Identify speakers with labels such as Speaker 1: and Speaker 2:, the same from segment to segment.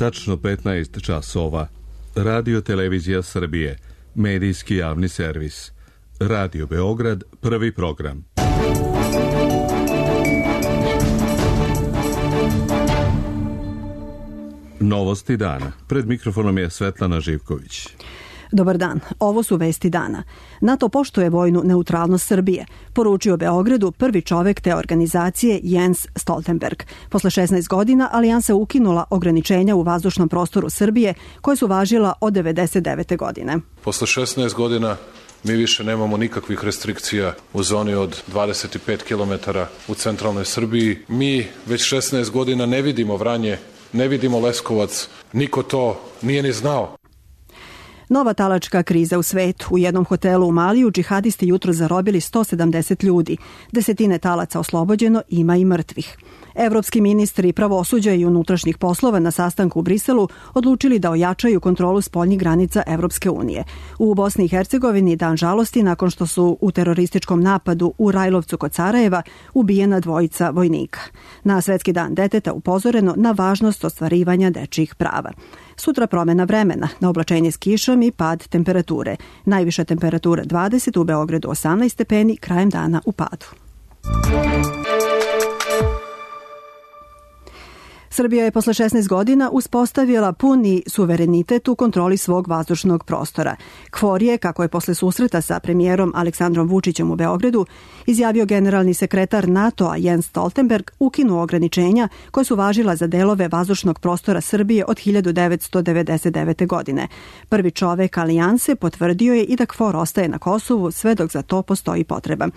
Speaker 1: Tačno 15 časova. Radio Televizija Srbije. Medijski javni servis. Radio Beograd, prvi program. Novosti dana. Pred mikrofonom je Svetlana Živković.
Speaker 2: Dobar dan, ovo su vesti dana. NATO poštuje vojnu neutralnost Srbije, poručio Beogradu prvi čovek te organizacije Jens Stoltenberg. Posle 16 godina Alijansa ukinula ograničenja u vazdušnom prostoru Srbije koje su važila od 1999. godine.
Speaker 3: Posle 16 godina mi više nemamo nikakvih restrikcija u zoni od 25 km u centralnoj Srbiji. Mi već 16 godina ne vidimo Vranje, ne vidimo Leskovac, niko to nije ni znao.
Speaker 2: Nova talačka kriza u svetu. U jednom hotelu u Maliju džihadisti jutro zarobili 170 ljudi. Desetine talaca oslobođeno, ima i mrtvih. Evropski ministri pravosuđa i unutrašnjih poslova na sastanku u Briselu odlučili da ojačaju kontrolu spoljnih granica Evropske unije. U Bosni i Hercegovini dan žalosti nakon što su u terorističkom napadu u Rajlovcu kod Sarajeva ubijena dvojica vojnika. Na Svetski dan deteta upozoreno na važnost ostvarivanja dečjih prava. Sutra promena vremena, na oblačenje s kišom i pad temperature. Najviša temperatura 20, u Beogradu 18 stepeni, krajem dana u padu. Srbija je posle 16 godina uspostavila puni suverenitet u kontroli svog vazdušnog prostora. KFOR je, kako je posle susreta sa premijerom Aleksandrom Vučićem u Beogradu, izjavio generalni sekretar NATO-a Jens Stoltenberg, ukinuo ograničenja koje su važila za delove vazdušnog prostora Srbije od 1999. godine. Prvi čovek Alijanse potvrdio je i da KFOR ostaje na Kosovu sve dok za to postoji potreba.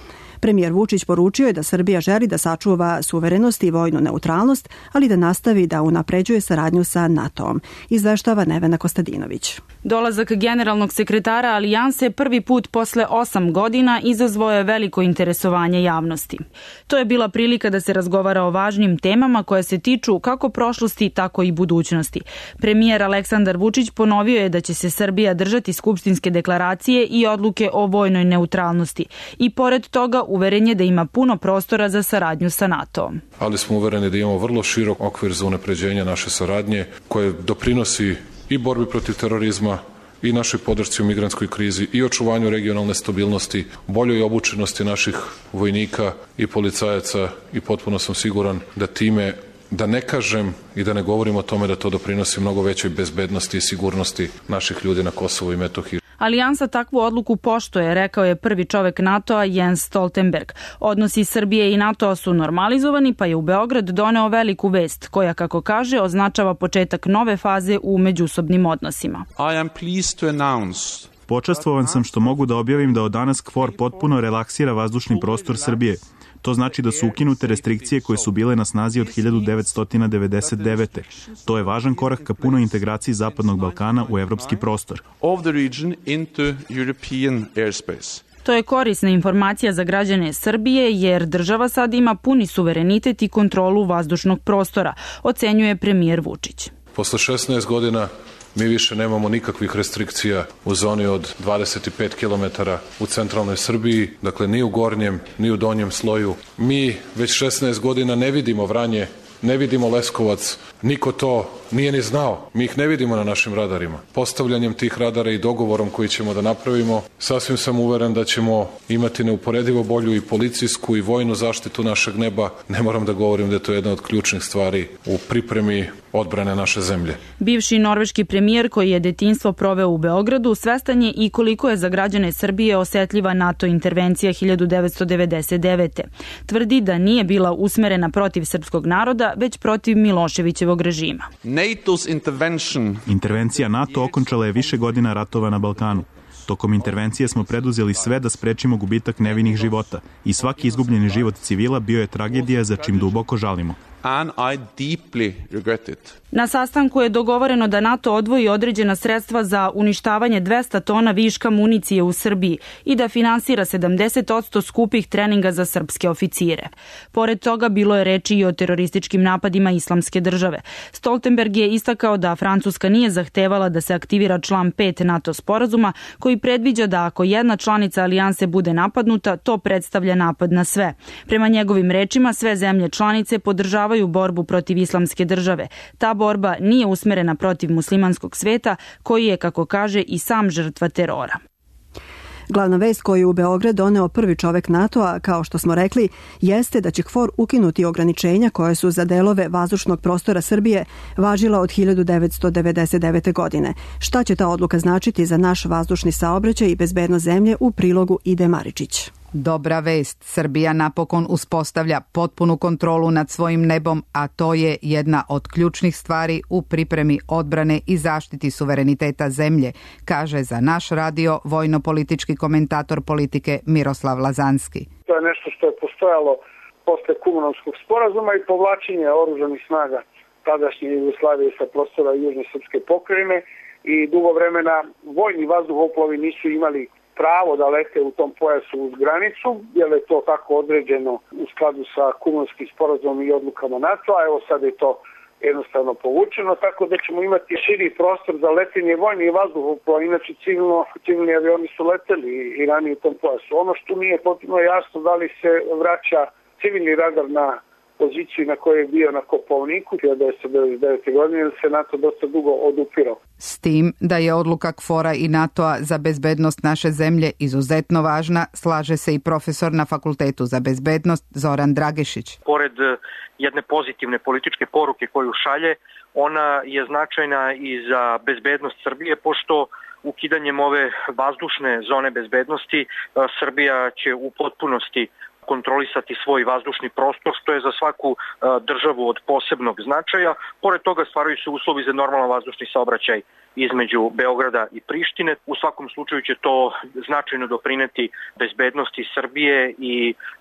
Speaker 2: Premijer Vučić poručio je da Srbija želi da sačuva suverenost i vojnu neutralnost, ali da nastavi da unapređuje saradnju sa NATO-om. Izveštava Nevena Kostadinović.
Speaker 4: Dolazak generalnog sekretara Alijanse prvi put posle 8 godina izazvao je veliko interesovanje javnosti. To je bila prilika da se razgovara o važnim temama koje se tiču kako prošlosti, tako i budućnosti. Premijer Aleksandar Vučić ponovio je da će se Srbija držati skupštinske deklaracije i odluke o vojnoj neutralnosti. I pored toga uveren je da ima puno prostora za saradnju sa NATO-om.
Speaker 3: Ali smo uvereni da imamo vrlo širok okvir za unapređenje naše saradnje koje doprinosi i borbi protiv terorizma i našoj podršci u migrantskoj krizi i očuvanju regionalne stabilnosti, boljoj obučenosti naših vojnika i policajaca i potpuno sam siguran da time, da ne kažem i da ne govorim o tome da to doprinosi mnogo većoj bezbednosti i sigurnosti naših ljudi na Kosovu i Metohiji.
Speaker 4: Alijansa takvu odluku poštuje, rekao je prvi čovek NATO-a Jens Stoltenberg. Odnosi Srbije i NATO-a su normalizovani, pa je u Beograd doneo veliku vest, koja, kako kaže, označava početak nove faze u međusobnim odnosima.
Speaker 5: Počastvovan sam što mogu da objavim da od danas KFOR potpuno relaksira vazdušni prostor Srbije. To znači da su ukinute restrikcije koje su bile na snazi od 1999. To je važan korak ka punoj integraciji Zapadnog Balkana u evropski prostor.
Speaker 4: To je korisna informacija za građane Srbije jer država sad ima puni suverenitet i kontrolu vazdušnog prostora, ocenjuje premijer Vučić.
Speaker 3: Posle 16 godina mi više nemamo nikakvih restrikcija u zoni od 25 km u centralnoj Srbiji, dakle ni u gornjem, ni u donjem sloju. Mi već 16 godina ne vidimo Vranje, ne vidimo Leskovac, niko to nije ni znao. Mi ih ne vidimo na našim radarima. Postavljanjem tih radara i dogovorom koji ćemo da napravimo, sasvim sam uveren da ćemo imati neuporedivo bolju i policijsku i vojnu zaštitu našeg neba. Ne moram da govorim da je to jedna od ključnih stvari u pripremi odbrane naše zemlje.
Speaker 4: Bivši norveški premijer koji je detinjstvo proveo u Beogradu svestan je i koliko je za građane Srbije osetljiva NATO intervencija 1999. Tvrdi da nije bila usmerena protiv srpskog naroda, već protiv Miloševićevog režima.
Speaker 5: Intervencija NATO okončala je više godina ratova na Balkanu. Tokom intervencije smo preduzeli sve da sprečimo gubitak nevinih života i svaki izgubljeni život civila bio je tragedija za čim duboko žalimo.
Speaker 4: Na sastanku je dogovoreno da NATO odvoji određena sredstva za uništavanje 200 tona viška municije u Srbiji i da finansira 70% skupih treninga za srpske oficire. Pored toga bilo je reči i o terorističkim napadima Islamske države. Stoltenberg je istakao da Francuska nije zahtevala da se aktivira član 5 NATO sporazuma koji predviđa da ako jedna članica alijanse bude napadnuta, to predstavlja napad na sve. Prema njegovim rečima, sve zemlje članice podržavaju podržavaju borbu protiv islamske države. Ta borba nije usmerena protiv muslimanskog sveta, koji je, kako kaže, i sam žrtva terora.
Speaker 2: Glavna vest koju je u Beograd doneo prvi čovek NATO-a, kao što smo rekli, jeste da će KFOR ukinuti ograničenja koje su za delove vazdušnog prostora Srbije važila od 1999. godine. Šta će ta odluka značiti za naš vazdušni saobraćaj i bezbednost zemlje, u prilogu Ide Maričić.
Speaker 6: Dobra vest, Srbija napokon uspostavlja potpunu kontrolu nad svojim nebom, a to je jedna od ključnih stvari u pripremi odbrane i zaštiti suvereniteta zemlje, kaže za naš radio vojno-politički komentator politike Miroslav Lazanski.
Speaker 7: To je nešto što je postojalo posle Kumanovskog sporazuma i povlačenja oružanih snaga tadašnje Jugoslavije sa prostora južne srpske pokrajine i dugo vremena vojni vazduhoplovi nisu imali pravo da lete u tom pojasu uz granicu, jer je to tako određeno u skladu sa Kumanovskim sporazumom i odlukama NATO-a. Evo sad je to jednostavno povučeno, tako da ćemo imati širi prostor za letenje vojnih vazduhoplova. Inače civilni avioni su leteli i ranije u tom pojasu. Ono što nije potpuno jasno da li se vraća civilni radar na poziciju na kojoj je bio na Kopaoniku 1999. godine, jer se NATO dosta dugo odupirao.
Speaker 6: S tim da je odluka KFOR-a i NATO-a za bezbednost naše zemlje izuzetno važna, slaže se i profesor na Fakultetu za bezbednost Zoran Dragešić.
Speaker 8: Pored jedne pozitivne političke poruke koju šalje, ona je značajna i za bezbednost Srbije, pošto ukidanjem ove vazdušne zone bezbednosti Srbija će u potpunosti kontrolisati svoj vazdušni prostor, što je za svaku državu od posebnog značaja. Pored toga stvaraju se uslovi za normalan vazdušni saobraćaj između Beograda i Prištine. U svakom slučaju će to značajno doprineti bezbednosti Srbije i,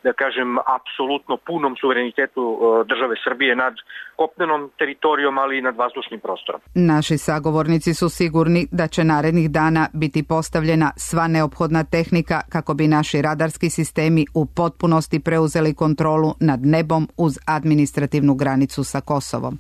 Speaker 8: da kažem, apsolutno punom suverenitetu države Srbije nad kopnenom teritorijom, ali i nad vazdušnim prostorom.
Speaker 6: Naši sagovornici su sigurni da će narednih dana biti postavljena sva neophodna tehnika kako bi naši radarski sistemi u potpunosti preuzeli kontrolu nad nebom uz administrativnu granicu sa Kosovom.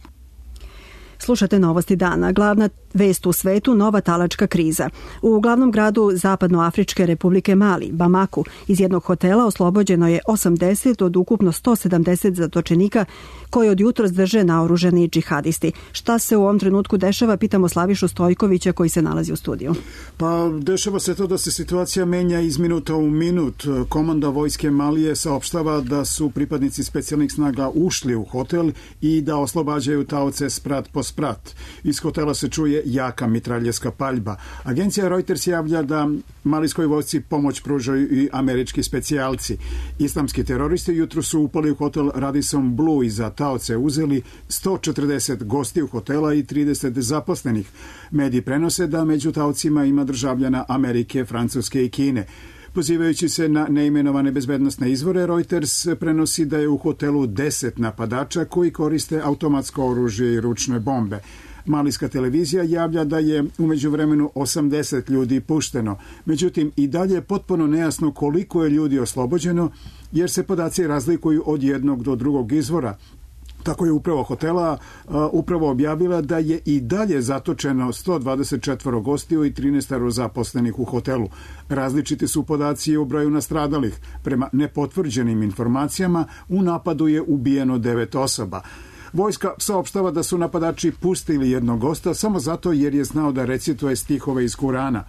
Speaker 2: Slušate Novosti dana. Glavna vest u svetu, nova talačka kriza. U glavnom gradu Zapadnoafričke republike Mali, Bamaku, iz jednog hotela oslobođeno je 80 od ukupno 170 zatočenika koji od jutros drže naoružani džihadisti. Šta se u ovom trenutku dešava, pitamo Slavišu Stojkovića koji se nalazi u studiju.
Speaker 9: Pa dešava se to da se situacija menja iz minuta u minut. Komanda vojske Malije saopštava da su pripadnici specijalnih snaga ušli u hotel i da oslobađaju taoce sprat po sprat. Iz hotela se čuje jaka mitraljevska paljba. Agencija Reuters javlja da malijskoj vojsci pomoć pružaju i američki specijalci. Islamski teroristi jutro su upali u hotel Radisson Blu i za taoce uzeli 140 gostiju hotela i 30 zaposlenih. Mediji prenose da među taocima ima državljana Amerike, Francuske i Kine. Pozivajući se na neimenovane bezbednosne izvore, Reuters prenosi da je u hotelu 10 napadača koji koriste automatsko oružje i ručne bombe. Malijska televizija javlja da je u međuvremenu 80 ljudi pušteno. Međutim, i dalje je potpuno nejasno koliko je ljudi oslobođeno, jer se podaci razlikuju od jednog do drugog izvora. Tako je upravo hotela upravo objavila da je i dalje zatočeno 124 gostiju i 13 zaposlenih u hotelu. Različiti su podaci o broju nastradalih. Prema nepotvrđenim informacijama, u napadu je ubijeno 9 osoba. Vojska saopštava da su napadači pustili jednog gosta samo zato jer je znao da recituje stihove iz Kurana.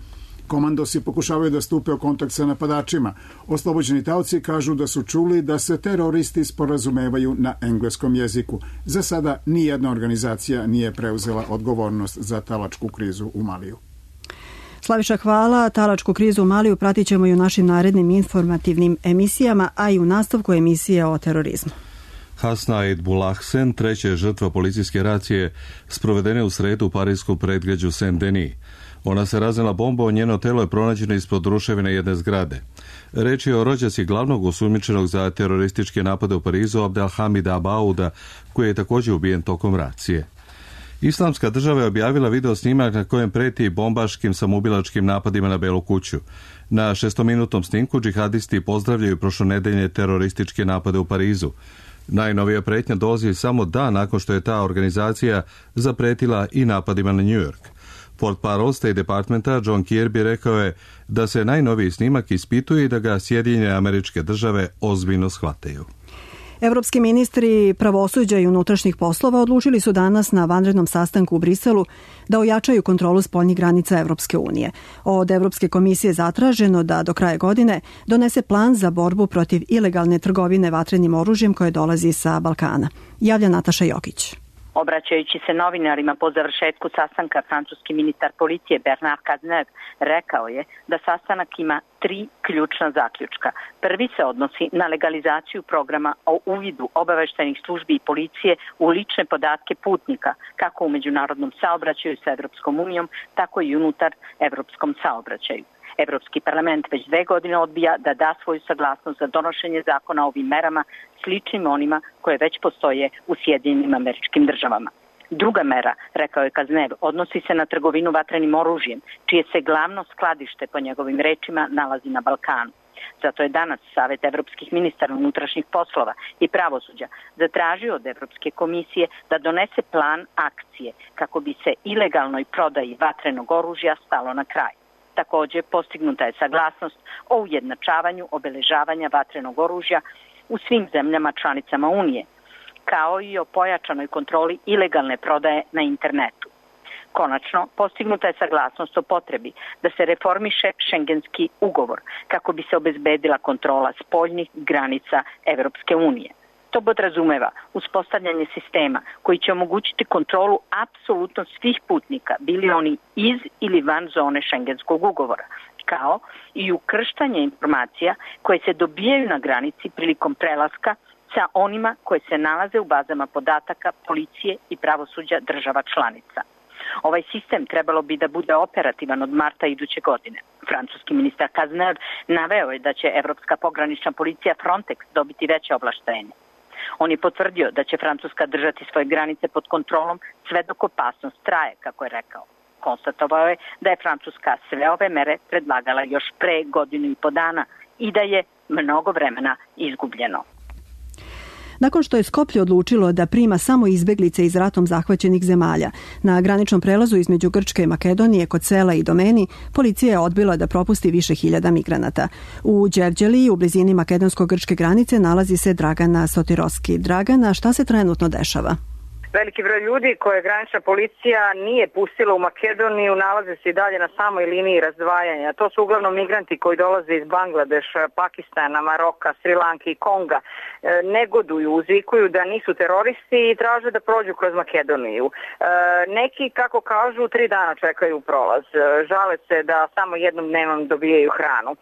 Speaker 9: Komandosi pokušavaju da stupe u kontakt sa napadačima. Oslobođeni taoci kažu da su čuli da se teroristi sporazumevaju na engleskom jeziku. Za sada nijedna organizacija nije preuzela odgovornost za talačku krizu u Maliju.
Speaker 2: Slaviša, hvala. Talačku krizu u Maliju pratit ćemo i u našim narednim informativnim emisijama, a i u nastavku emisije o terorizmu.
Speaker 1: Hasnaid Bulahsen, treća žrtva policijske racije, sprovedene u sredu u parijskom predgrađu Saint-Denis. Ona se raznela bombom, njeno telo je pronađeno ispod ruševine jedne zgrade. Reč je o rođaci glavnog osumnjičenog za terorističke napade u Parizu, Abdelhamida Abauda, koji je također ubijen tokom racije. Islamska država je objavila video snimak na kojem preti bombaškim samoubilačkim napadima na Belu kuću. Na 6-minutnom snimku džihadisti pozdravljaju prošlonedeljne terorističke napade u Parizu. Najnovija pretnja dolazi samo dan nakon što je ta organizacija zapretila i napadima na New York. Portparol State Departmenta John Kirby rekao je da se najnoviji snimak ispituje i da ga Sjedinjene Američke Države ozbiljno shvataju.
Speaker 2: Evropski ministri pravosuđa i unutrašnjih poslova odlučili su danas na vanrednom sastanku u Briselu da ojačaju kontrolu spoljnih granica Evropske unije. Od Evropske komisije zatraženo da do kraja godine donese plan za borbu protiv ilegalne trgovine vatrenim oružjem koje dolazi sa Balkana. Javlja Nataša Jokić.
Speaker 10: Obraćajući se novinarima po završetku sastanka, francuski ministar policije Bernard Cazeneuve rekao je da sastanak ima 3 ključna zaključka. Prvi se odnosi na legalizaciju programa o uvidu obaveštajnih službi i policije u lične podatke putnika, kako u međunarodnom saobraćaju sa Evropskom unijom, tako i unutar evropskom saobraćaju. Evropski parlament već 2 godine odbija da da svoju saglasnost za donošenje zakona o ovim merama sličnim onima koje već postoje u Sjedinjenim Američkim Državama. Druga mera, rekao je Cazeneuve, odnosi se na trgovinu vatrenim oružjem, čije se glavno skladište, po njegovim rečima, nalazi na Balkanu. Zato je danas Savet evropskih ministara unutrašnjih poslova i pravosuđa zatražio od Evropske komisije da donese plan akcije kako bi se ilegalnoj prodaji vatrenog oružja stalo na kraj. Također postignuta je saglasnost o ujednačavanju obeležavanja vatrenog oružja u svim zemljama članicama Unije, kao i o pojačanoj kontroli ilegalne prodaje na internetu. Konačno, postignuta je saglasnost o potrebi da se reformiše Šengenski ugovor kako bi se obezbedila kontrola spoljnih granica Evropske unije. To podrazumeva uspostavljanje sistema koji će omogućiti kontrolu apsolutno svih putnika, bili oni iz ili van zone Šengenskog ugovora, kao i ukrštanje informacija koje se dobijaju na granici prilikom prelaska sa onima koje se nalaze u bazama podataka policije i pravosuđa država članica. Ovaj sistem trebalo bi da bude operativan od marta iduće godine. Francuski ministar Cazeneuve naveo je da će Evropska pogranična policija Frontex dobiti veće ovlaštenje. On je potvrdio da će Francuska držati svoje granice pod kontrolom sve dok opasnost traje, kako je rekao. Konstatovao je da je Francuska sve ove mere predlagala još pre 1,5 godine i da je mnogo vremena izgubljeno.
Speaker 2: Nakon što je Skoplje odlučilo da prima samo izbeglice iz ratom zahvaćenih zemalja, na graničnom prelazu između Grčke i Makedonije kod sela Idomeni, policija je odbila da propusti više hiljada migranata. U Đevđeliji, u blizini makedonsko-grčke granice, nalazi se Dragana Sotiroski. Dragana, šta se trenutno dešava?
Speaker 11: Veliki broj ljudi koje granična policija nije pustila u Makedoniju nalaze se i dalje na samoj liniji razdvajanja. To su uglavnom migranti koji dolaze iz Bangladeša, Pakistana, Maroka, Sri Lanke i Konga. Negoduju, uzvikuju da nisu teroristi i traže da prođu kroz Makedoniju. Neki, kako kažu, 3 dana čekaju prolaz. Žale se da samo jednom dnevnom dobijaju hranu.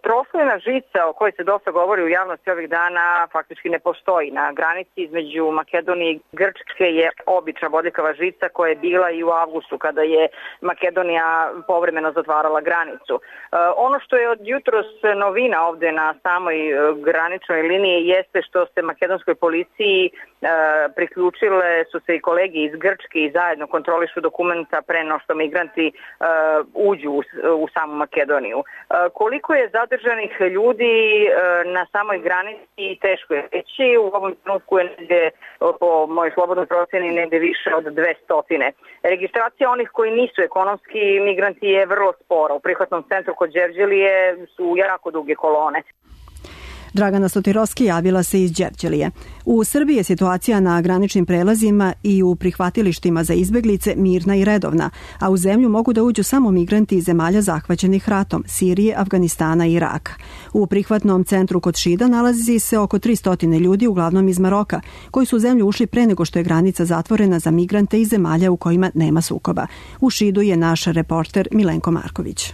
Speaker 11: Troslojna žica o kojoj se dosta govori u javnosti ovih dana faktički ne postoji. Na granici između Makedonije i Grčke je obična bodljikava žica koja je bila i u avgustu kada je Makedonija povremeno zatvarala granicu. Ono što je od jutros novina ovde na samoj graničnoj liniji jeste što se makedonskoj policiji priključile su se i kolege iz Grčke i zajedno kontrolišu dokumenta pre no što migranti uđu u samu Makedoniju. Koliko je zadržanih ljudi na samoj granici teško je reći. U ovom trenutku je negde, po mojoj slobodnoj proceni, negde više od 200. Registracija onih koji nisu ekonomski migranti je vrlo spora. U prihvatnom centru kod Đevđelije su jako duge kolone.
Speaker 2: Dragana Sotiroski javila se iz Đevđelije. U Srbiji je situacija na graničnim prelazima i u prihvatilištima za izbeglice mirna i redovna, a u zemlju mogu da uđu samo migranti iz zemalja zahvaćenih ratom, Sirije, Afganistana i Iraka. U prihvatnom centru kod Šida nalazi se oko 300 ljudi, uglavnom iz Maroka, koji su u zemlju ušli pre nego što je granica zatvorena za migrante iz zemalja u kojima nema sukoba. U Šidu je naš reporter Milenko Marković.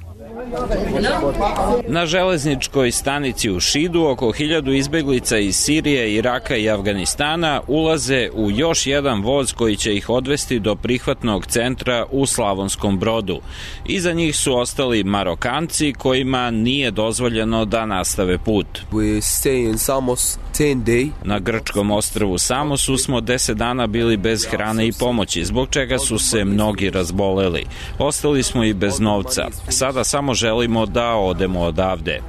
Speaker 12: Na železničkoj stanici u Šidu oko 1000 izbeglica iz Sirije, Iraka i Afganistana ulaze u još jedan voz koji će ih odvesti do prihvatnog centra u Slavonskom Brodu. Iza njih su ostali Marokanci kojima nije dozvoljeno da nastave put. Na grčkom ostrvu Samosu smo 10 dana bili bez hrane i pomoći, zbog čega su se mnogi razboleli. Ostali smo i bez novca. Sada samo želimo da odemo odavde.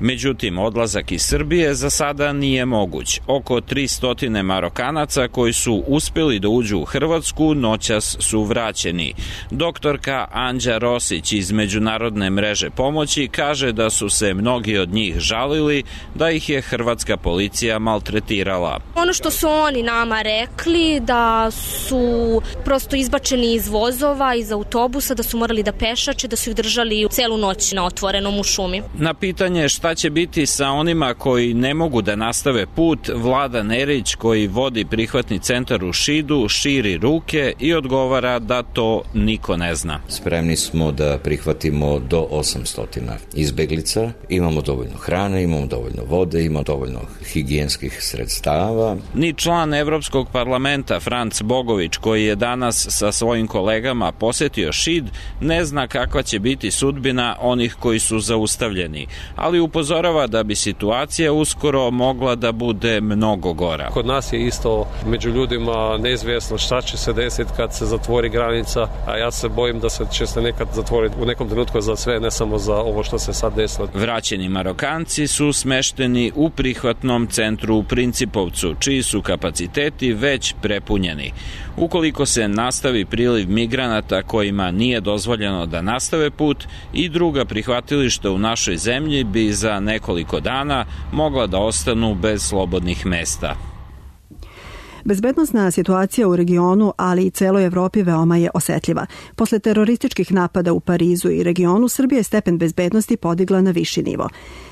Speaker 12: Međutim, odlazak iz Srbije za sada nije moguć. Oko 300 Marokanaca koji su uspeli da uđu u Hrvatsku noćas su vraćeni. Doktorka Anđa Rosić iz Međunarodne mreže pomoći kaže da su se mnogi od njih žalili da ih je hrvatska policija maltretirala.
Speaker 13: Ono što su oni nama rekli, da su prosto izbačeni iz vozova, iz autobusa, da su morali da pešače, da su ih držali celu noć na otvorenom u šumi.
Speaker 12: Na pitanje šta će biti sa onima koji ne mogu da nastave put, Vlada Nerić, koji vodi prihvatni centar u Šidu, širi ruke i odgovara da to niko ne zna.
Speaker 14: Spremni smo da prihvatimo do 800 izbeglica, imamo dovoljno hrane, imamo dovoljno vode, imamo dovoljno higijenskih sredstava.
Speaker 12: Ni član Evropskog parlamenta Franc Bogović, koji je danas sa svojim kolegama posetio Šid, ne zna kakva će biti sudbina onih koji su zaustavljeni, ali upozorava da bi situacija uskoro mogla da bude mnogo gora.
Speaker 15: Kod nas je isto među ljudima neizvjesno šta će se desiti kad se zatvori granica, a ja se bojim da će se nekad zatvoriti u nekom trenutku za sve, ne samo za ovo što se sad desilo.
Speaker 12: Vraćeni Marokanci su smešteni u prihvatnom centru u Principovcu, čiji su kapaciteti već prepunjeni. Ukoliko se nastavi priliv migranata kojima nije dozvoljeno da nastave put, i druga prihvatilišta u našoj zemlji bi za nekoliko dana mogla da ostanu bez slobodnih mesta.
Speaker 2: Bezbednosna situacija u regionu, ali i celoj Evropi veoma je osetljiva. Posle terorističkih napada u Parizu i regionu, Srbija je stepen bezbednosti podigla na viši nivo.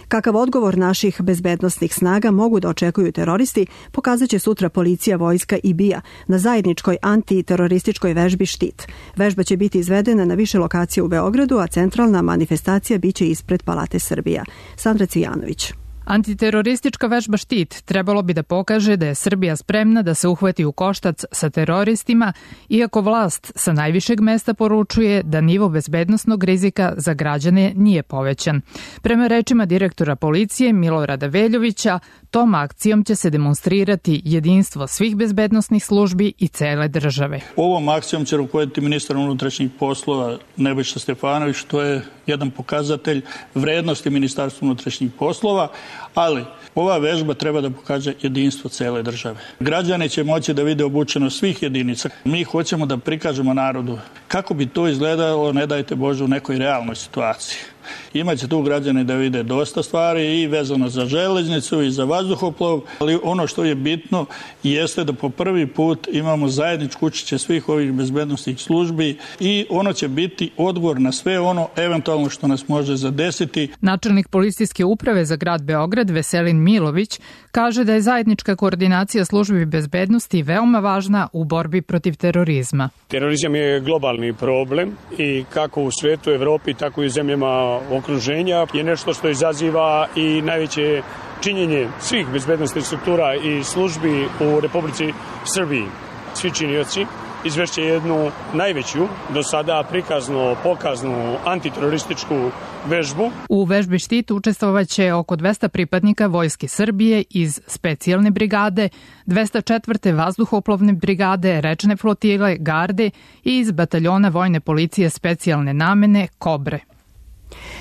Speaker 2: Kakav odgovor naših bezbednosnih snaga mogu da očekuju teroristi, pokazat će sutra policija, vojska i BIA na zajedničkoj antiterorističkoj vežbi Štit. Vežba će biti izvedena na više lokacija u Beogradu, a centralna manifestacija biće ispred Palate Srbija. Sandra Cvijanović.
Speaker 16: Antiteroristička vežba Štit trebalo bi da pokaže da je Srbija spremna da se uhvati u koštac sa teroristima, iako vlast sa najvišeg mesta poručuje da nivo bezbednosnog rizika za građane nije povećan. Prema rečima direktora policije Milorada Veljovića, tom akcijom će se demonstrirati jedinstvo svih bezbednosnih službi i cele države.
Speaker 17: Ovom akcijom će rukovoditi ministar unutrašnjih poslova Nebojša Stefanović, što je jedan pokazatelj vrednosti Ministarstva unutrašnjih poslova, ali ova vežba treba da pokaže jedinstvo cele države. Građani će moći da vide obučenost svih jedinica. Mi hoćemo da prikažemo narodu kako bi to izgledalo, ne dajte Bože, u nekoj realnoj situaciji. Imaće tu građani da vide dosta stvari i vezano za železnicu i za vazduhoplov, ali ono što je bitno jeste da po prvi put imamo zajedničko učešće svih ovih bezbednosnih službi i ono će biti odgovor na sve ono eventualno što nas može zadesiti.
Speaker 16: Načelnik policijske uprave za grad Beograd Veselin Milović kaže da je zajednička koordinacija službi bezbednosti veoma važna u borbi protiv terorizma.
Speaker 18: Terorizam je globalni problem i kako u svetu, Evropi, tako i u zemljama okruženja je nešto što izaziva i najveće činjenje svih bezbednosnih struktura i službi u Republici Srbiji. Svi činioci izvešće jednu najveću do sada pokaznu antiterorističku vežbu.
Speaker 16: U vežbi Štit učestvovaće oko 200 pripadnika Vojske Srbije iz specijalne brigade, 204. vazduhoplovne brigade, rečne flotile, garde i iz bataljona vojne policije specijalne namene Kobre.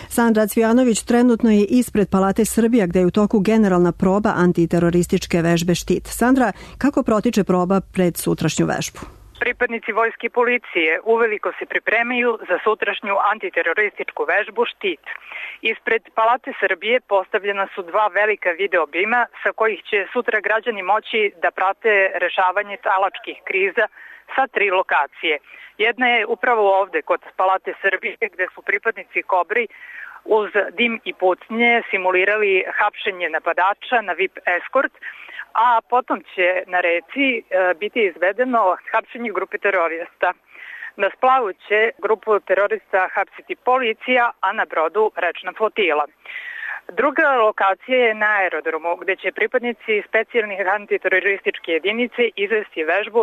Speaker 2: Sandra Cvijanović trenutno je ispred Palate Srbija gde je u toku generalna proba antiterorističke vežbe Štit. Sandra, kako protiče proba pred sutrašnju vežbu?
Speaker 11: Pripadnici vojske i policije uveliko se pripremaju za sutrašnju antiterorističku vežbu Štit. Ispred Palate Srbije postavljena su dva velika video bima sa kojih će sutra građani moći da prate rešavanje talačkih kriza sa 3 lokacije. Jedna je upravo ovde kod Palate Srbije gde su pripadnici Kobri uz dim i pucnje simulirali hapšenje napadača na VIP eskort, a potom će na reci biti izvedeno hapšenje grupe terorista. Na splavu će grupu terorista hapsiti policija, a na brodu rečna flotila. Druga lokacija je na aerodromu, gde će pripadnici specijalnih antiterorističke jedinice izvesti vežbu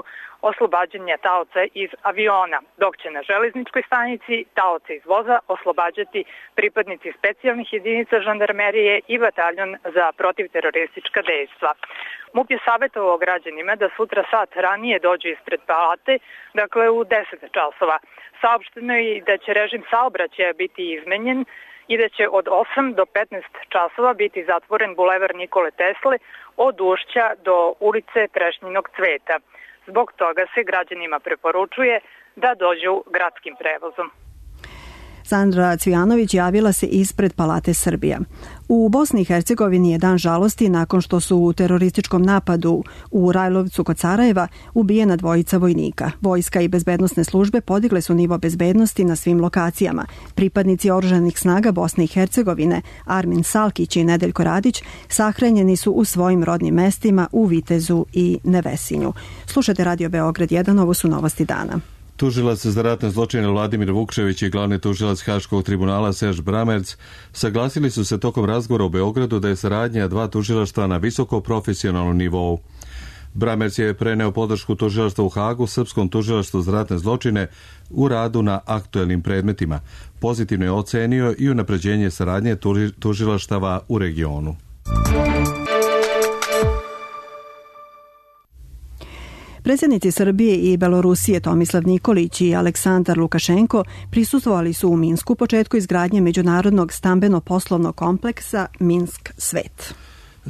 Speaker 11: oslobađanja taoca iz aviona, dok će na železničkoj stanici taoca iz voza oslobađati pripadnici specijalnih jedinica žandarmerije i bataljon za protivteroristička dejstva. MUP je savjetovao građanima da sutra sat ranije dođu ispred palate, dakle u 10 časova. Saopšteno je da će režim saobraćaja biti izmenjen
Speaker 19: i da će od 8 do 15 časova biti zatvoren bulevar Nikole Tesle od Ušća do ulice Trešnjinog cveta. Zbog toga se građanima preporučuje da dođu gradskim prevozom.
Speaker 2: Sandra Cvijanović javila se ispred Palate Srbija. U Bosni i Hercegovini je dan žalosti nakon što su u terorističkom napadu u Rajlovcu kod Sarajeva ubijena 2 vojnika. Vojska i bezbednosne službe podigle su nivo bezbednosti na svim lokacijama. Pripadnici oružanih snaga Bosne i Hercegovine, Armin Salkić i Nedeljko Radić, sahranjeni su u svojim rodnim mestima u Vitezu i Nevesinju. Slušate Radio Beograd 1, ovo su novosti dana.
Speaker 1: Tužilac za ratne zločine Vladimir Vukčević i glavni tužilac Haškog tribunala Serž Bramerc saglasili su se tokom razgovora u Beogradu da je saradnja 2 tužilaštva na visoko profesionalnom nivou. Bramerc je preneo podršku tužilaštva u Hagu Srpskom tužilaštvu za ratne zločine u radu na aktuelnim predmetima. Pozitivno je ocenio i unapređenje saradnje tužilaštava u regionu.
Speaker 2: Predsjednici Srbije i Belorusije Tomislav Nikolić i Aleksandar Lukašenko prisustvovali su u Minsku početku izgradnje međunarodnog stambeno-poslovnog kompleksa Minsk Svet.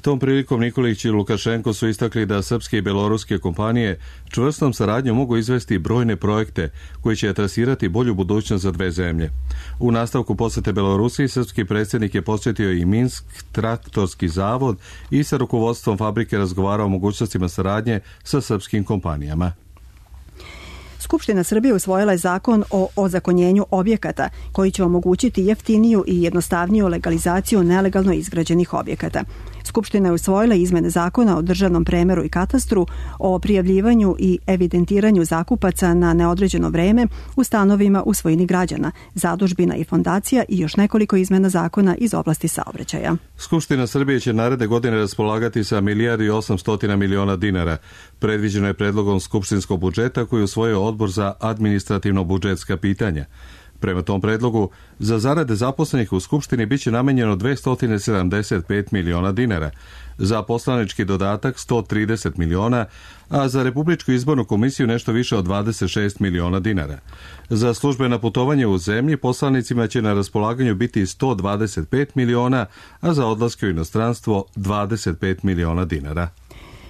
Speaker 1: Tom prilikom Nikolić i Lukašenko su istakli da srpske i beloruske kompanije čvrstom saradnjom mogu izvesti brojne projekte koji će trasirati bolju budućnost za 2 zemlje. U nastavku posete Belorusiji srpski predsjednik je posjetio i Minsk traktorski zavod i sa rukovodstvom fabrike razgovarao o mogućnostima saradnje sa srpskim kompanijama.
Speaker 2: Skupština Srbije usvojila je zakon o ozakonjenju objekata koji će omogućiti jeftiniju i jednostavniju legalizaciju nelegalno izgrađenih objekata. Skupština je usvojila izmene zakona o državnom premeru i katastru, o prijavljivanju i evidentiranju zakupaca na neodređeno vreme u stanovima u svojini građana, zadužbina i fondacija i još nekoliko izmena zakona iz oblasti saobraćaja.
Speaker 1: Skupština Srbije će naredne godine raspolagati sa 1,8 milijardi dinara. Predviđeno je predlogom skupštinskog budžeta koji je usvojio Odbor za administrativno-budžetska pitanja. Prema tom predlogu, za zarade zaposlenih u Skupštini biće namenjeno 275 miliona dinara, za poslanički dodatak 130 miliona, a za Republičku izbornu komisiju nešto više od 26 miliona dinara. Za službena putovanje u zemlji poslanicima će na raspolaganju biti 125 miliona, a za odlaske u inostranstvo 25 miliona dinara.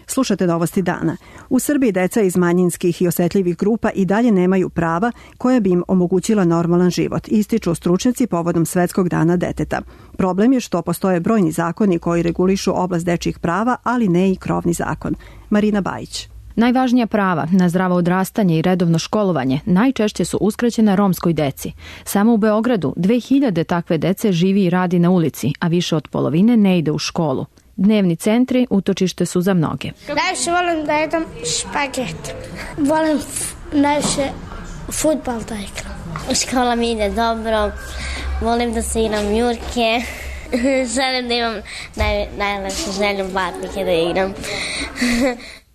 Speaker 2: Slušate novosti dana. U Srbiji deca iz manjinskih i osetljivih grupa i dalje nemaju prava koja bi im omogućila normalan život, ističu stručnjaci povodom Svetskog dana deteta. Problem je što postoje brojni zakoni koji regulišu oblast dečjih prava, ali ne i krovni zakon. Marina Bajić.
Speaker 20: Najvažnija prava na zdravo odrastanje i redovno školovanje najčešće su uskraćena romskoj deci. Samo u Beogradu 2000 takve dece živi i radi na ulici, a više od polovine ne ide u školu. Dnevni centri utočište su za mnoge.
Speaker 21: Najviše volim da jedem špaget. Volim najviše fudbal da igram. Škola mi ide dobro, volim da se igram jurke. Želim da imam najlepšu želju Barbike da igram.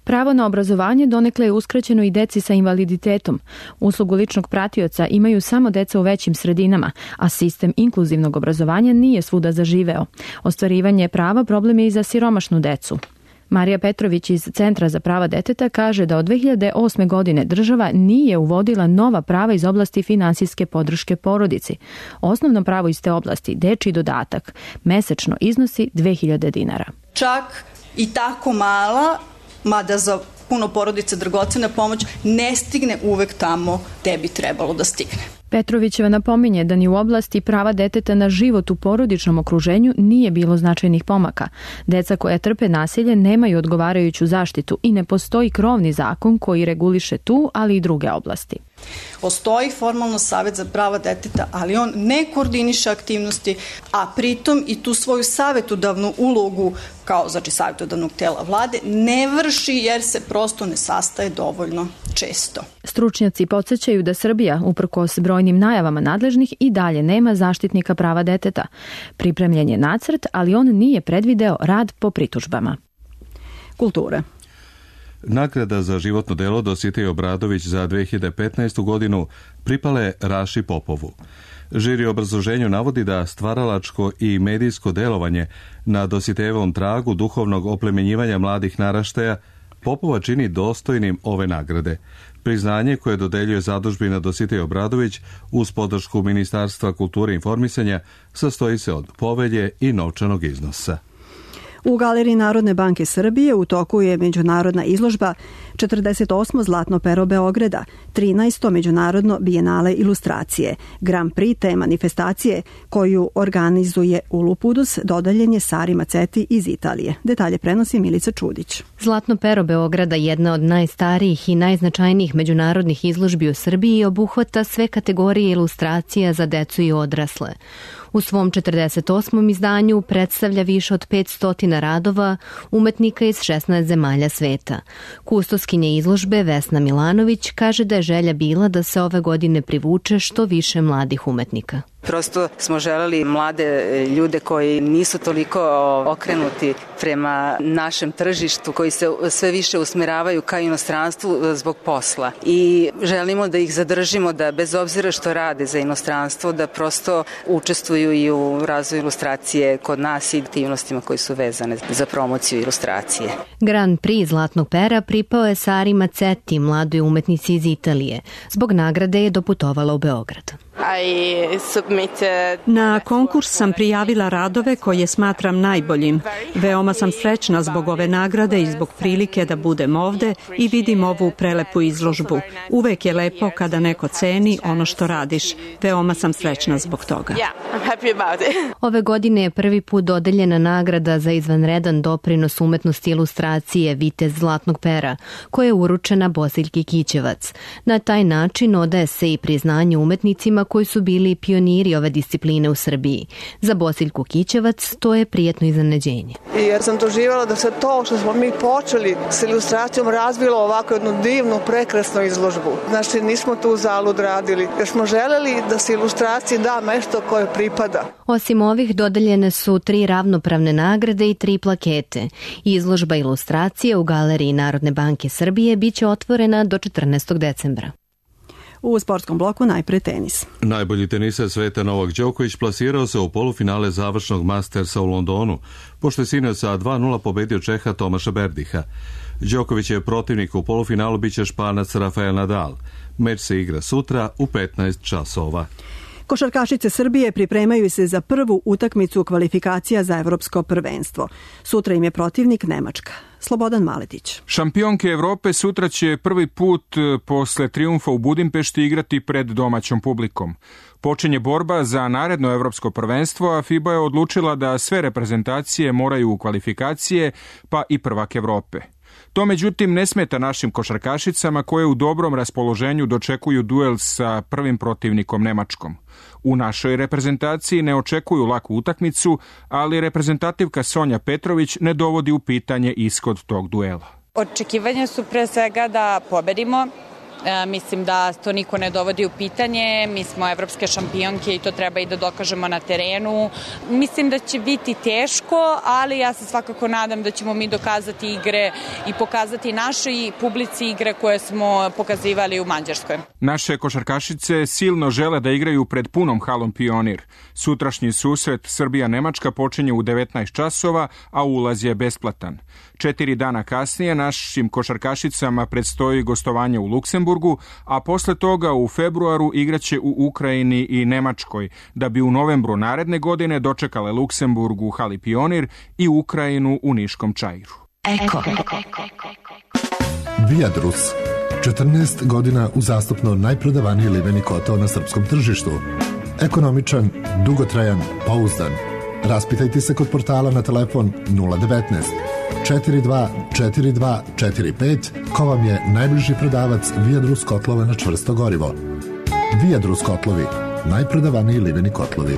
Speaker 20: Pravo na obrazovanje donekle je uskraćeno i deci sa invaliditetom. Uslugu ličnog pratioca imaju samo deca u većim sredinama, a sistem inkluzivnog obrazovanja nije svuda zaživeo. Ostvarivanje prava problem je i za siromašnu decu. Marija Petrović iz Centra za prava deteta kaže da od 2008. godine država nije uvodila nova prava iz oblasti finansijske podrške porodici. Osnovno pravo iz te oblasti, dečji dodatak, mesečno iznosi 2000 dinara.
Speaker 22: Čak i tako mala, mada za puno porodica dragocena pomoć, ne stigne uvek tamo gde bi trebalo da stigne.
Speaker 20: Petrovićeva napominje da ni u oblasti prava deteta na život u porodičnom okruženju nije bilo značajnih pomaka. Deca koja trpe nasilje nemaju odgovarajuću zaštitu i ne postoji krovni zakon koji reguliše tu, ali i druge oblasti.
Speaker 22: Postoji formalno Savet za prava deteta, ali on ne koordiniše aktivnosti, a pritom i tu svoju savjetodavnu ulogu kao savjetodavnog tela vlade ne vrši jer se prosto ne sastaje dovoljno često.
Speaker 20: Stručnjaci podsjećaju da Srbija, uprkos brojnim najavama nadležnih, i dalje nema zaštitnika prava deteta. Pripremljen je nacrt, ali on nije predvideo rad po pritužbama.
Speaker 2: Kultura.
Speaker 1: Nagrada za životno delo Dositej Obradović za 2015. godinu pripale Raši Popovu. Žiri u obrazloženju navodi da stvaralačko i medijsko delovanje na Dositejevom tragu duhovnog oplemenjivanja mladih naraštaja Popova čini dostojnim ove nagrade. Priznanje koje dodeljuje zadužbina Dositej Obradović uz podršku Ministarstva kulture i informisanja sastoji se od povelje i novčanog iznosa.
Speaker 2: U Galeriji Narodne banke Srbije u toku je međunarodna izložba 48. Zlatno pero Beograda, 13. međunarodno bijenale ilustracije. Grand Prix te manifestacije koju organizuje Ulupudus dodaljen je Sari Maceti iz Italije. Detalje prenosi Milica Čudić.
Speaker 3: Zlatno pero Beograda, jedna od najstarijih i najznačajnijih međunarodnih izložbi u Srbiji, obuhvata sve kategorije ilustracija za decu i odrasle. U svom 48. izdanju predstavlja više od 500 radova umetnika iz 16 zemalja sveta. Kustoskinja izložbe Vesna Milanović kaže da je želja bila da se ove godine privuče što više mladih umetnika.
Speaker 5: Prosto smo želeli mlade ljude koji nisu toliko okrenuti prema našem tržištu, koji se sve više usmeravaju ka inostranstvu zbog posla. I želimo da ih zadržimo, da bez obzira što rade za inostranstvo, da prosto učestvuju i u razvoju ilustracije kod nas i aktivnostima koji su vezane za promociju ilustracije.
Speaker 3: Grand Prix Zlatnog pera pripao je Sari Maceti, mladoj umetnici iz Italije. Zbog nagrade je doputovala u Beograd.
Speaker 23: Na konkurs sam prijavila radove koje smatram najboljim. Veoma sam srećna zbog ove nagrade i zbog prilike da budem ovde i vidim ovu prelepu izložbu. Uvek je lepo kada neko ceni ono što radiš. Veoma sam srećna zbog toga.
Speaker 3: Ove godine je prvi put dodeljena nagrada za izvanredan doprinos umetnosti ilustracije Vitez Zlatnog pera, koja je uručena Bosiljki Kićevac. Na taj način odaje se i priznanje umetnicima koji su bili pioniri ove discipline u Srbiji. Za Bosiljku Kićevac to je prijetno iznenađenje.
Speaker 24: Jer sam doživjela da se to što smo mi počeli s ilustracijom razvilo ovako jednu divnu, prekrasnu izložbu. Znači nismo tu zalud radili, jer smo želeli da se ilustraciji da mesto koje pripada.
Speaker 3: Osim ovih dodeljene su 3 ravnopravne nagrade i 3 plakete. Izložba ilustracije u Galeriji Narodne banke Srbije biće otvorena do 14. decembra.
Speaker 2: U sportskom bloku najpre tenis.
Speaker 1: Najbolji teniser sveta Novak Đoković plasirao se u polufinale završnog Mastersa u Londonu, pošto je sinoć sa 2:0 pobedio Čeha Tomaša Berdiha. Đoković je protivnik u polufinalu biće Španac Rafael Nadal. Meč se igra sutra u 15 časova.
Speaker 2: Košarkašice Srbije pripremaju se za prvu utakmicu kvalifikacija za evropsko prvenstvo. Sutra im je protivnik Nemačka. Slobodan Maletić.
Speaker 25: Šampionke Evrope sutra će prvi put posle trijumfa u Budimpešti igrati pred domaćom publikom. Počinje borba za naredno evropsko prvenstvo, a FIBA je odlučila da sve reprezentacije moraju u kvalifikacije, pa i prvak Evrope. To međutim ne smeta našim košarkašicama koje u dobrom raspoloženju dočekuju duel sa prvim protivnikom Nemačkom. U našoj reprezentaciji ne očekuju laku utakmicu, ali reprezentativka Sonja Petrović ne dovodi u pitanje ishod tog duela.
Speaker 26: Očekivanja su pre svega da pobedimo. Mislim da to niko ne dovodi u pitanje, mi smo evropske šampionke i to treba i da dokažemo na terenu. Mislim da će biti teško, ali ja se svakako nadam da ćemo mi dokazati igre i pokazati našoj publici igre koje smo pokazivali u Mađarskoj.
Speaker 25: Naše košarkašice silno žele da igraju pred punom halom Pionir. Sutrašnji susret Srbija-Nemačka počinje u 19 časova, a ulaz je besplatan. 4 dana kasnije našim košarkašicama predstoji gostovanje u Luksemburgu, a posle toga u februaru igraće u Ukrajini i Nemačkoj, da bi u novembru naredne godine dočekale Luksemburg u hali Pionir i Ukrajinu u Niškom Čairu.
Speaker 27: Eko. Viadrus. 14 godina uzastopno najprodavaniji liveni kotao na srpskom tržištu. Ekonomičan, dugotrajan, pouzdan. Raspitajte se kod portala na telefon 019 424245 ko vam je najbliži prodavac Viadrus kotlova na čvrsto gorivo. Viadrus kotlovi, najprodavaniji liveni kotlovi.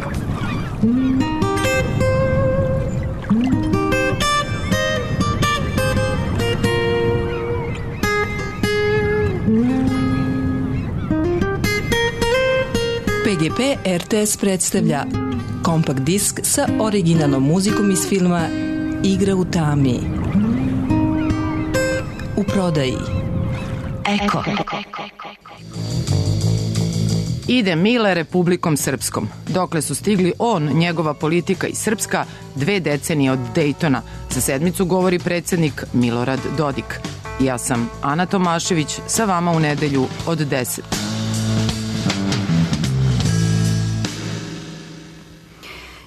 Speaker 28: PGP RTS predstavlja kompakt disk sa originalnom muzikom iz filma Igra u tami. U prodaji. Eko.
Speaker 6: Ide Mile Republikom Srpskom. Dokle su stigli on, njegova politika i Srpska, 2 decenije od Dejtona. Za sedmicu govori predsjednik Milorad Dodik. Ja sam Ana Tomašević, sa vama u nedelju od 10.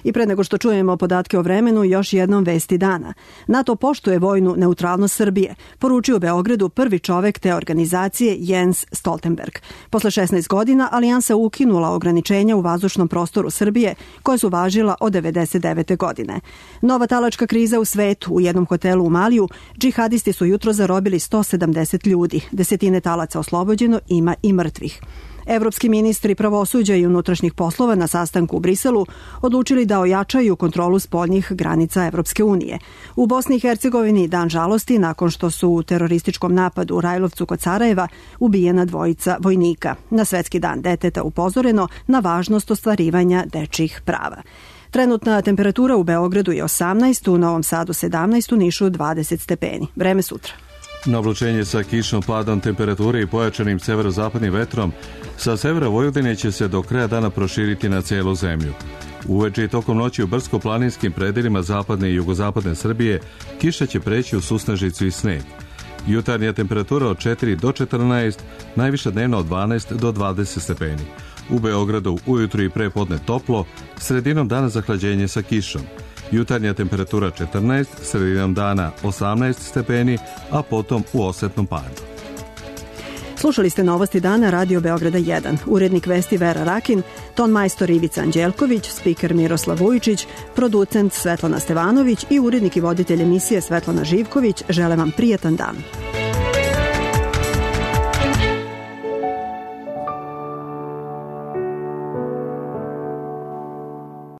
Speaker 2: I pre nego što čujemo podatke o vremenu, još jednom vesti dana. NATO poštuje vojnu neutralnost Srbije, poručio u Beogradu prvi čovek te organizacije Jens Stoltenberg. Posle 16 godina Alijansa ukinula ograničenja u vazdušnom prostoru Srbije koje su važila od 1999. godine. Nova talačka kriza u svetu. U jednom hotelu u Maliju džihadisti su jutro zarobili 170 ljudi. Desetine talaca oslobođeno, ima i mrtvih. Evropski ministri pravosuđa i unutrašnjih poslova na sastanku u Briselu odlučili da ojačaju kontrolu spoljnih granica Evropske unije. U Bosni i Hercegovini dan žalosti nakon što su u terorističkom napadu u Rajlovcu kod Sarajeva ubijena dvojica vojnika. Na Svetski dan deteta upozoreno na važnost ostvarivanja dečjih prava. Trenutna temperatura u Beogradu je 18, u Novom Sadu 17, u Nišu 20 stepeni. Vreme sutra.
Speaker 1: Na oblačenje sa kišnom padom temperature i pojačanim severozapadnim vetrom, sa severa Vojvodine će se do kraja dana proširiti na cijelu zemlju. Uveče i tokom noći u brdsko-planinskim predelima zapadne i jugozapadne Srbije kiša će preći u susnežicu i sneg. Jutarnja temperatura od 4 do 14, najviša dnevna od 12 do 20 stepeni. U Beogradu ujutru i prepodne toplo, sredinom dana zahlađenje sa kišom. Jutarnja temperatura 14, sredinom dana 18 stepeni, a potom u osetnom padu.
Speaker 2: Slušali ste novosti dana Radio Beograda 1. Urednik vesti Vera Rakin, ton majstor Ivica Anđelković, spiker Miroslav Vujičić, producent Svetlana Stevanović i urednik i voditelj emisije Svetlana Živković žele vam prijatan dan.